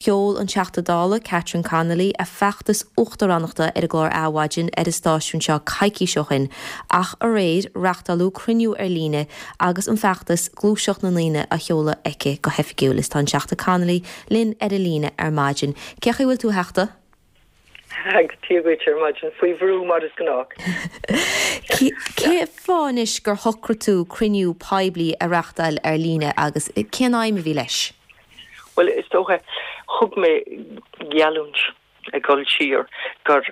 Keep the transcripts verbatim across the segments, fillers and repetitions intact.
Sheol an Teachta Dála Catherine Connolly a feachtas uachtaránachta ar an gclár Adhmhaidin ar an stáisiún seo coicís ó shin, ach aréir reáchtáladh cruinniú ar líne agus an feachtas gluaiseacht na ndaoine á sheoladh aici go hoifigiúil is tá an Teachta Connolly linn ar an líne ar maidin. Cén chaoi a bhfuil tú a Theachta? Dia duit ar maidin faoi bhrú mar is gnách. Cén fáth anois gur shocraigh tú cruinniú poiblí a reáchtáil ar líne agus cén aidhm a bhí leis? Well is dócha thug mé geallúint ag dul siar gur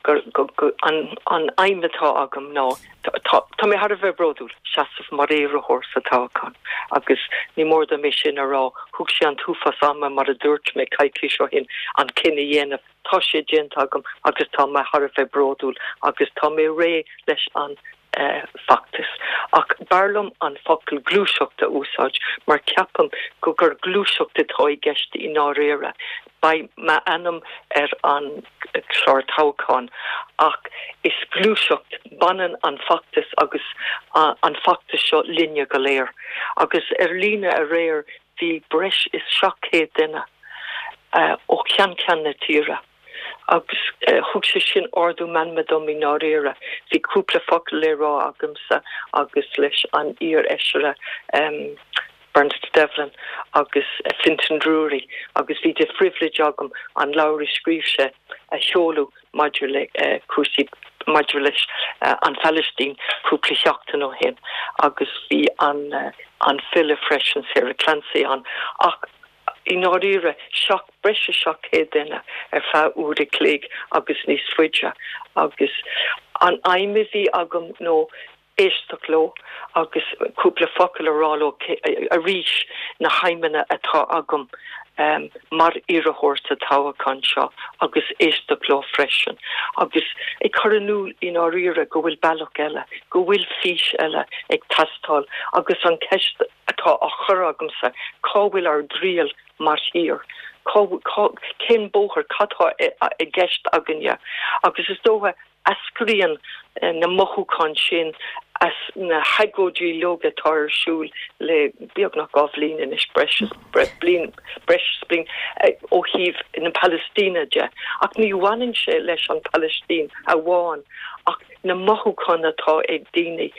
gur gur an an aidhm atá agam ná tá tá mé thar a bheith bródúil seasamh mar iarrthóir sa toghchán agus ní mór dom é sin a rá thóg sé an t-uafás ama mar a dúirt mé coicís ó shin an cinneadh a dhéanamh tá sé déanta agam agus tá mé thar a bheith bródúil agus tá mé réidh leis an feachtas. Ach b'fhearr liom an focal gluaiseacht a úsáid mar ceapaim go gur gluaiseacht atá i gceist i ndáiríre. Beidh m'ainm ar an chlár toghcháin ach is gluaiseacht baineann an feachtas agus an feachtas seo linne go léir. Agus ar líne aréir bhí breis is seacht céad duine uh, ó cheann ceann na tíre. agus uh, thug sé sin ardú meanma dom i ndáiríre. Bhí cúpla focal le rá agamsa agus leis an iar-fheisire um, Bernadette Devlin agus uh, Fintan Drury agus bhí de phribhléid agam an leabhar a scríobh sé a sheoladh maidir le uh, cúrsaí maidir leis uh, an Phalaistín cúpla seachtain ó shin agus bhí an uh, an file freisin Sarah Clancy ann ach i ndáiríre seach breis is seacht céad duine ar feadh uair a chloig agus níos faide agus an aidhm a bhí agam ná éisteacht leo agus cúpla focal a rá leo arís na haidhmeanna atá agam um, mar iarrthóir sa toghchán seo agus éisteacht leo freisin agus ag cur in iúl i ndáiríre go bhfuil bealach eile go bhfuil fís eile ag teastáil agus an ceist atá á chur agamsa cá bhfuil ár dtriall mar thír. Cén bóthar cad atá i gceist againne agus is dócha eascraíonn na mothúcháin sin as na hagóidí uilig atá ar siúl le beagnach dhá bhliain anois breis bliain breis bliain ó thaobh na Palaistíne de ach ní bhaineann sé leis an Phalaistín amháin ach na mothúcháin atá ag daoine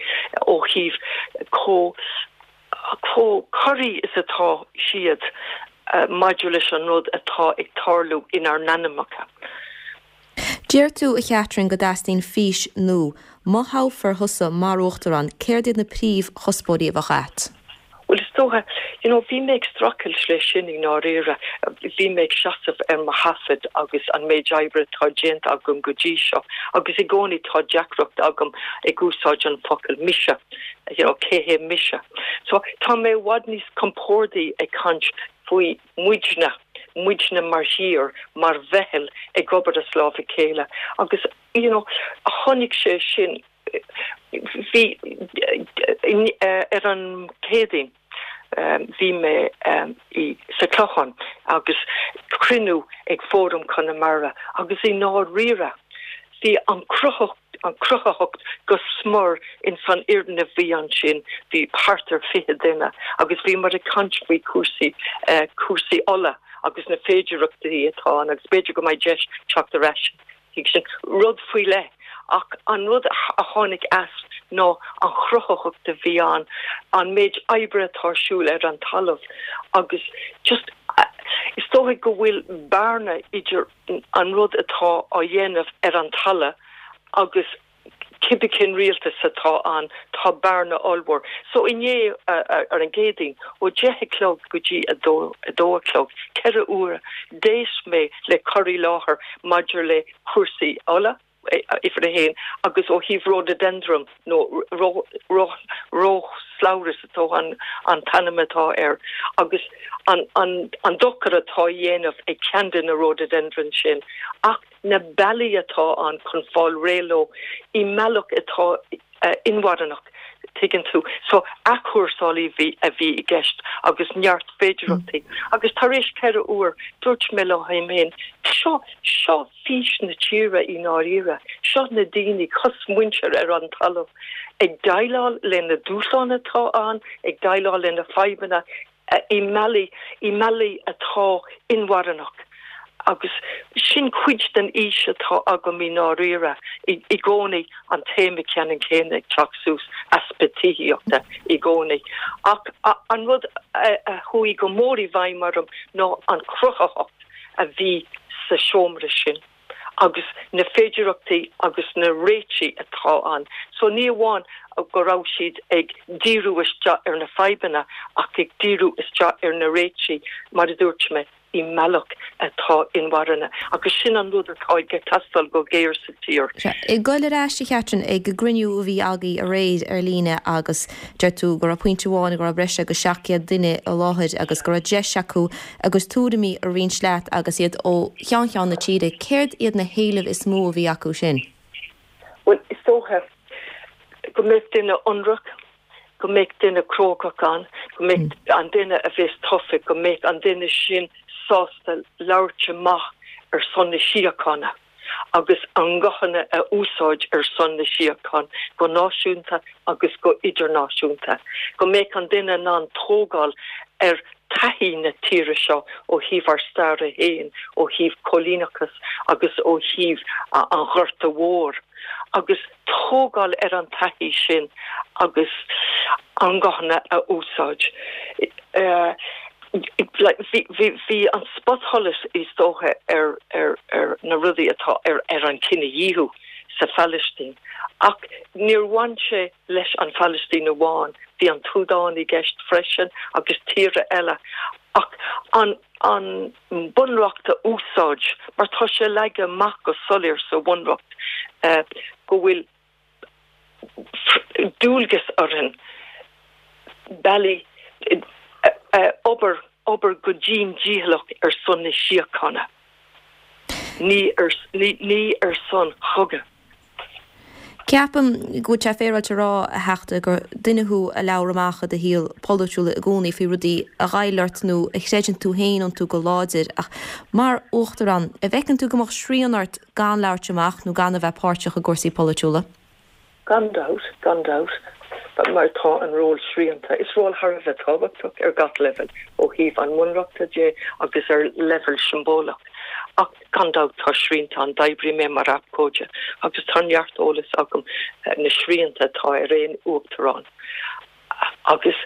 ó thaobh chomh chomh corraithe is atá siad uh, maidir leis an rud atá ag tarlú inár n-anamacha. Deir tú a Chatherine go dteastaíonn fís nua, má thoghfar thusa mar uachtarán céard iad na príomhchuspóirí a bheadh agat. Well is dócha you know bhí mé ag streachailt leis sin i ndáiríre bhí mé ag seasamh ar mo thaifead agus an méid oibre atá déanta agam go dtí seo agus i gcónaí tá deacracht agam ag úsáid an focal mise you know cé hé mise so tá mé i bhfad níos compordaí ag caint faoi muidne muidne mar thír mar mheitheal ag obair as lámh a chéile agus you know a tháinig sé sin bhí ar an Chéadaoin bhí mé um, i sa Clochán agus cruinniú ag Fóram Conamara agus i ndáiríre bhí an cruthaitheacht an cruthaitheacht go smior in san fhoirgneamh bhí ansin bhí thart ar fiche duine agus bhí muid ag caint faoi cúrsaí uh, cúrsaí ola agus na féidearthachtaí atá agus b'fhéidir go mbeidh deis teacht ar ais sin rud faoi leith ach an rud a tháinig as ná an chruthaitheacht a bhí ann an méid oibre atá ar siúl ar an talamh agus just is dócha go bhfuil bearna idir an rud atá á dhéanamh ar an talamh agus cibé cén rialtas atá ann tá bearna ollmhór. So inné uh, ar an gCéadaoin ó deich a chlog go dtí a dó a dó a chlog, ceithre huaire d'éist mé le cur i láthair maidir le cúrsaí ola uimhir a haon agus ó thaobh rhododendron nó róslabhras atá an an t-ainm atá air agus an an an dochar atá á dhéanamh ag ceann de na rhododendron sin ach na bealaí atá ann chun fáil réidh leo i mbealach atá uh, inmharthanach tuigeann tú so athchúrsáil a bhí a bhí i gceist agus neart féidearthachtaí agus tar éis ceithre huaire dúirt mé liom féin seo seo fís na tíre i ndáiríre seo na daoine cosmhuintir ar an talamh ag déileáil le na dúshláin atá ann ag déileáil le na fadhbanna i mbealaí, i mbealaí atá inmharthanach agus sin cuid den fhís atá agam i ndáiríre, i gcónaí an téama ceannann céanna ag teacht suas, easpa tithíochta i gcónaí. Ach an rud a chuaigh go mór i bhfeidhm orm ná an chruthaitheacht a bhí sa seomra sin agus na féidearthachtaí agus na réitigh atá ann. So ní amháin go raibh siad ag díriú isteach ar na fadhbanna ach ag díriú isteach ar na réitigh, mar a dúirt mé, i mbealach atá inmharthana agus sin an rud atá ag teastáil go géar sa tír. Sea. Ag goil ar ais, a Chatherine, ag an gcruinniú a bhí agaibh aréir ar líne agus deir tú go raibh pointe amháin go raibh breis agus seacht gcéad duine i láthair agus go raibh deis acu a gcuid tuairimí a roinnt leat agus iad ó cheann ceann na tíre, céard iad na héilimh is mó a bhí acu sin? Bhuel, is dócha go mbeadh duine ionraic, go mbeadh duine crógach ann, go mbeadh an duine a bheas tofa, go mbeadh an duine sin sásta labhairt amach ar son na síochána agus a nguthanna a úsáid ar son na síochána go náisiúnta agus go idirnáisiúnta, go mbeadh an duine in ann tógáil ar taithí na tíre seo ó thaobh ár staire féin, ó thaobh coilíneachas agus ó thaobh an Ghorta Mhóir, agus tógáil ar an taithí sin agus a nguthanna a úsáid. Bhí an spotsholas is dócha ar ar na rudaí atá ar ar an cinedhíothú sa Phalaistín. Ach níor bhain sé leis an Phalaistín amháin, bhí an tSúdáin i gceist freisin agus tíortha eile. Ach an an Bunreacht a úsáid, mar tá sé leagtha amach go soiléir sa Bhunreacht go bhfuil dualgas orainn bealaí obair obair go dian dícheallach ar son na síochána, ní ar ní ar son chogadh. Ceapaim go bhfuil sé féaráilte a rá, a Theachta, gur duine thú a labhair amach i do shaol polaitiúil i gcónaí faoi rudaí a ghoill ort nó a chreideann tú féin iontu go láidir ach mar Uachtarán, an bhfeiceann tú go mbeadh srian ort gan labhairt amach nó gan a bheith páirteach i gcúrsaí polaitiúla? Gan dabht, gan dabht, mar tá an ról srianta. Is ról thar a bheith tábhachtach ar gach leibhéal, ó thaobh an Bhunreachta de agus ar leibhéal siombalach. Ach gan dabht tá srianta ann. D'oibrigh mé mar abhcóide agus tá neart eolas agam na srianta atá ar aon uachtarán. Agus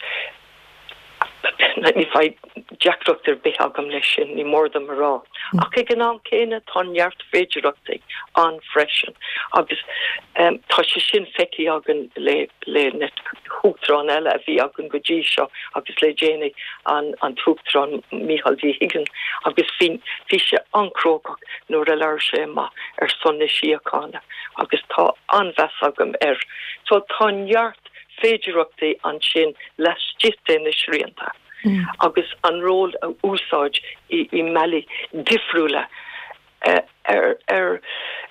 ní bheidh deacracht ar bith agam leis sin, ní mór dom a rá. Ach ag an am céanna tá neart féidearthachtaí ann freisin agus tá sé sin feicthe againn le le na huachtaráin eile a bhí againn go dtí seo agus le déanaí an an tUachtarán Micheál D Higgins agus bhí bhí sé an-chrógach nuair a labhair sé amach ar son na síochána agus tá an-mheas agam air. So tá neart féidearthachtaí ansin laistigh de na srianta agus an ról a úsáid i i mbealaí difriúla ar ar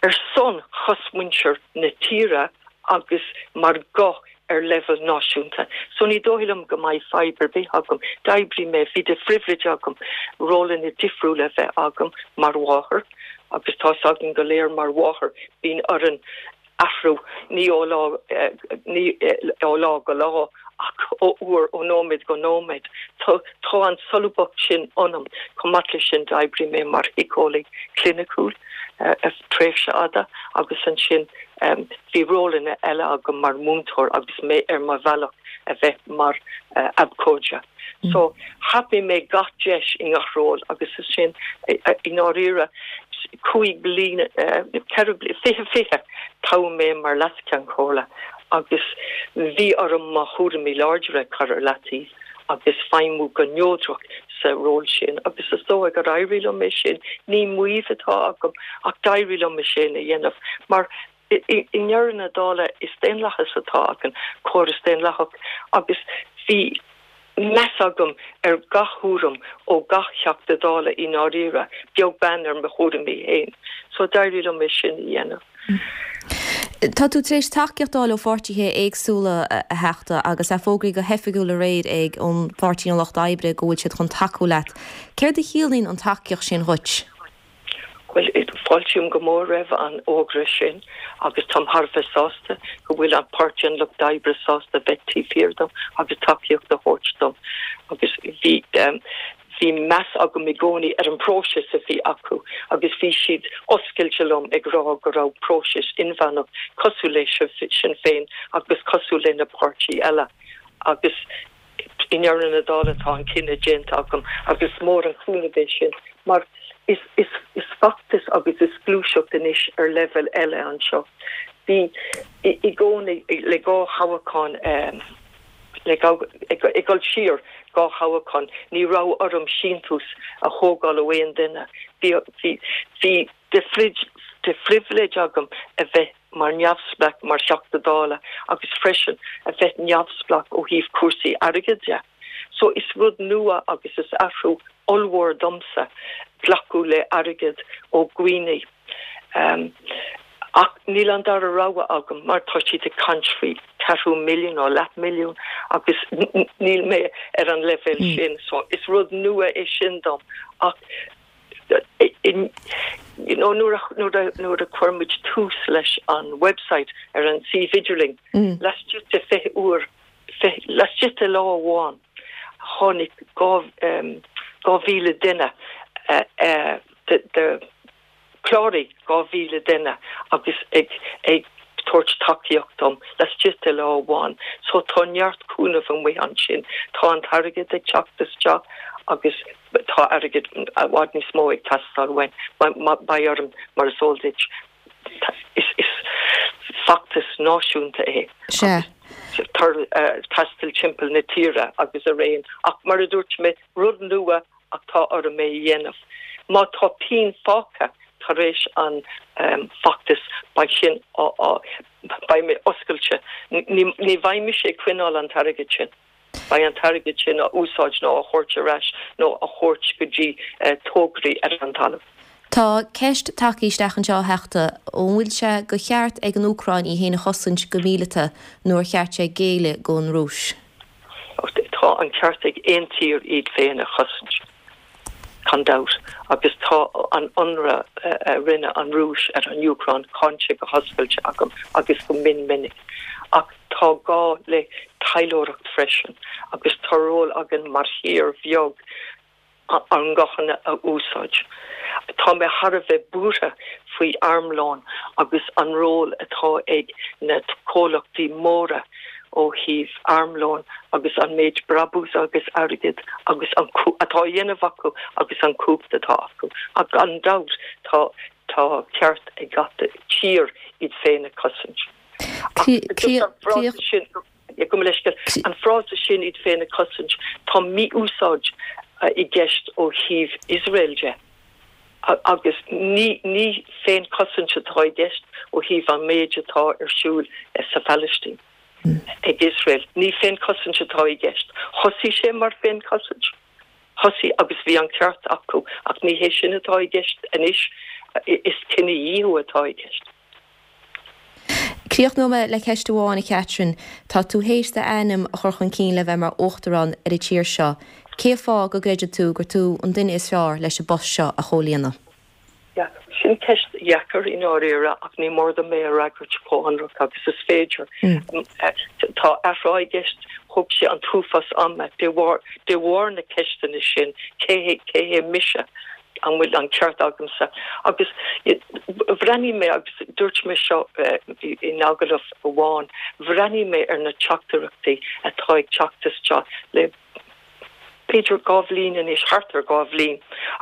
ar son chosmhuintir na tíre agus mar ghuth ar leibhéal náisiúnta. So ní dóigh liom go mbeidh fadhb ar bith agam. D'oibrigh mé, bhí de phribhléid agam rólanna difriúla a bheith agam mar mháthair agus tá 's againn go léir mar mháthair bíonn orainn athrú, ní ó lá ní ó lá go lá ach ó uair ó nóiméad go nóiméad. Tá tá an solúbthacht sin ionam. Chomh maith leis sin d'oibrigh mé mar shíceolaí cliniciúil tréimhse fhada agus ansin bhí rólanna eile agam mar mhúinteoir agus mé ar mo bhealach a bheith mar abhcóide. So thapaigh mé gach deis i ngach ról agus is sin i ndáiríre cúig bliana, ceithre bliana, fiche fiche, toghadh mé mar Leas-Cheann Comhairle agus bhí orm mo chúraimí láidre a chur ar leataobh agus feidhmiú go neodrach sa ról sin agus is dóigh gur éirigh liom é sin. Ní maíomh atá agam ach d'éirigh liom é sin a dhéanamh mar i ndeireadh na dála is daonlathas atá againn, córas daonlathach agus bhí meas agam ar gach thuairim ó gach Teachta Dála i ndáiríre, beag beann ar mo thuairimí féin. So d'éirigh liom é sin a dhéanamh. Tá tú tar éis tacaíocht a fháil ó pháirtithe éagsúla, a Theachta, agus é fógraithe go hoifigiúil aréir ag an Pháirtí an Lucht Oibre go bhfuil siad chun tacú leat. Céard a chiallaíonn an tacaíocht sin dhuit? Bhuel, fáiltím go mór roimh an fhógra sin agus táim thar a bheith sásta go bhfuil an Páirtí an Lucht Oibre sásta bheith taobh thiar dom agus tacaíocht a thabhairt dom. Agus bhí bhí meas agam i gcónaí ar an bpróiseas a bhí acu agus bhí siad oscailte liom ag rá go raibh próiseas inmheánach cosúil le Sinn Féin agus cosúil le na páirtí eile. Agus i ndeireadh na dála tá an cinneadh déanta agam agus is mór an cúnamh é sin mar is is is feachtas agus is gluaiseacht anois ar leibhéal eile anseo. Bhí i gcónaí le dhá thoghchán le ag dul siar dhá thoghchán ní raibh orm síntiús a thógáil ó aon duine. Bhí bhí bhí de de phribhléid agam a bheith mar neamhspleách mar Theachta Dála agus freisin a bheith neamhspleách ó thaobh cúrsaí airgid de. So is rud nua agus is athrú ollmhór domsa glacadh le airgead ó dhaoine. Um, ach níl an dara rogha agam mar tá siad ag caint faoi ceathrú milliún nó leath milliún agus níl mé ar an leibhéal mm. sin so is rud nua é sin dom ach in you know nuair nuair nuair a chuir muid tús leis an website ar an suíomh idirlín mm. laistigh de fiche uair laistigh de lá amháin tháinig dhá um, dhá mhíle duine uh, uh, de, de chláraigh dhá mhíle duine agus ag ag tabhairt tacaíocht dom laistigh de lá amháin so tá neart cúnamh amuigh ansin tá an t-airgead ag teacht isteach agus tá airgead i bhfad níos mó ag teastáil uainn beidh orm mar is eol duit is is feachtas náisiúnta é Se. Taisteal timpeall na tíre agus araon ach mar a dúirt mé rud nua ach tá orm é a dhéanamh. Má tá pingin fágtha tar éis an um, feachtas beidh sin beidh mé oscailte ní bheidh mise ag coinneáil an t-airgead sin. Beidh an t-airgead sin á úsáid nó á thabhairt ar ais nó á thabhairt go dtí uh, tograí ar an talamh. Tá ceist tagtha isteach anseo a Theachta an bhfuil sé de cheart ag an Úcráin í féin a chosaint go míleata nó ar cheart sé géilleadh don Rúis. Tá an ceart ag aon tír iad féin a chosaint. Gan dabht agus tá an ionradh a rinne an Rúis ar an Úcráin cáinte go hoscailte agam agus go mion minic. Ach tá gá le taidhleoireacht freisin agus tá ról againn mar thír bheag an guthanna a úsáid. Tá mé thar a bheith buartha faoi armlón agus an ról atá ag na comhlachtaí móra ó thaobh armlón agus an méid brabús agus airgead agus an atá á dhéanamh acu agus an chumhacht atá acu. Ach gan dabht tá tá ceart ag gach tír iad féin a chosaint. An frása sin iad féin a chosaint tá mí-úsáid i gceist ó thaobh Iosrael de. Agus ní ní féinchosaint atá i gceist ó thaobh an méid atá ar siúl sa Phalaistín. Ag Iosrael ní féinchosaint atá i gceist. Thosaigh sé mar féinchosaint. Thosaigh agus bhí an ceart acu ach ní hé sin atá i gceist anois is cinedhíothú atá i gceist. Críochnóidh mé le ceist amháin a Catherine, Tá tú théis d'ainm a chur chun cinn le bheith mar uachtarán ar an tír seo. Cén fáth go gcreideann tú gur tú an duine is fearr leis an bpost seo a chomhlíonadh? Yeah, sin ceist dheacair i ndáiríre ach ní mór dom é a fhreagairt chomh hionraic agus is féidir. Mm. Tá athrá i gceist thóg sé an t-uafás ama de bharr de bharr na ceisteanna sin cé cé hé mise an bhfuil an ceart agamsa agus bhreathnaigh mé agus dúirt mé seo in agallamh amháin bhreathnaigh mé ar na teachtaireachtaí atá ag teacht isteach le b'fhéidir dhá bhliain anois thart ar dhá bhliain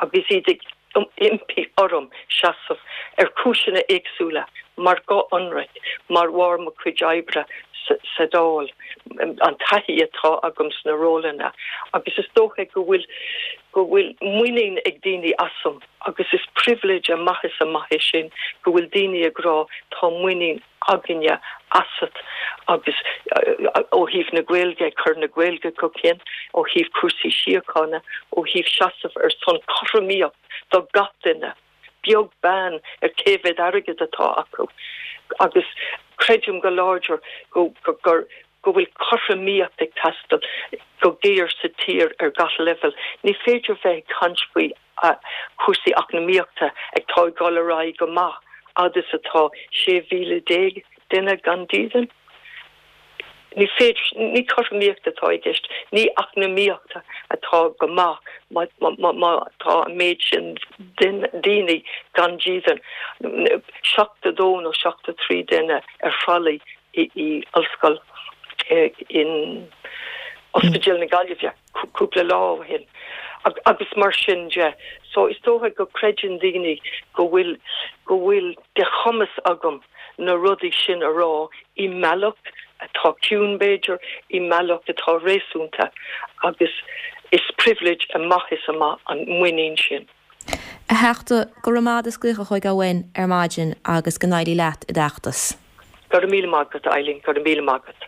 agus iad ag impí orm seasamh ar chúiseanna éagsúla mar go ionraic, mar bharr mo chuid oibre sa Dáil, an taithí atá agam sna rólanna agus is dócha go bhfuil go bhfuil muinín ag daoine asam agus is pribhléid amach is amach é sin go bhfuil daoine ag rá tá muinín againne asat agus ó thaobh na Gaeilge, cur na Gaeilge chun cinn, ó thaobh cúrsaí síochána, ó thaobh seasamh ar son cothromaíocht do gach duine, beag beann ar cé mhéad airgead atá acu. Agus creidim go láidir go gur go bhfuil cothromaíocht ag teastáil go géar sa tír ar gach leibhéal. Ní féidir bheith ag caint faoi cúrsaí eacnamaíochta ag tá ag dul ar aghaidh go maith agus atá sé mhíle déag duine gan dídean. Ní féidir ní cothromaíocht atá i gceist, ní eacnamaíocht atá go maith má tá an méid sin daoine gan dídean. Seachtó dó nó seachtó trí duine ar thralaí i i ollscoil in Ospidéal na Gaillimhe cúpla lá ó shin. agus mar sin de so is dócha go gcreideann daoine go bhfuil go bhfuil de chumas agam na rudaí sin a rá i mbealach atá ciúin b'fhéidir i mbealach atá réasúnta agus is privilege amach is amach an muinín sin. A Theachta go raibh maith agat as glaoch chugainn ar maidin agus go n-éirí leat i d'fheachtas. Go raibh míle maith agat Eileen go raibh míle maith agat.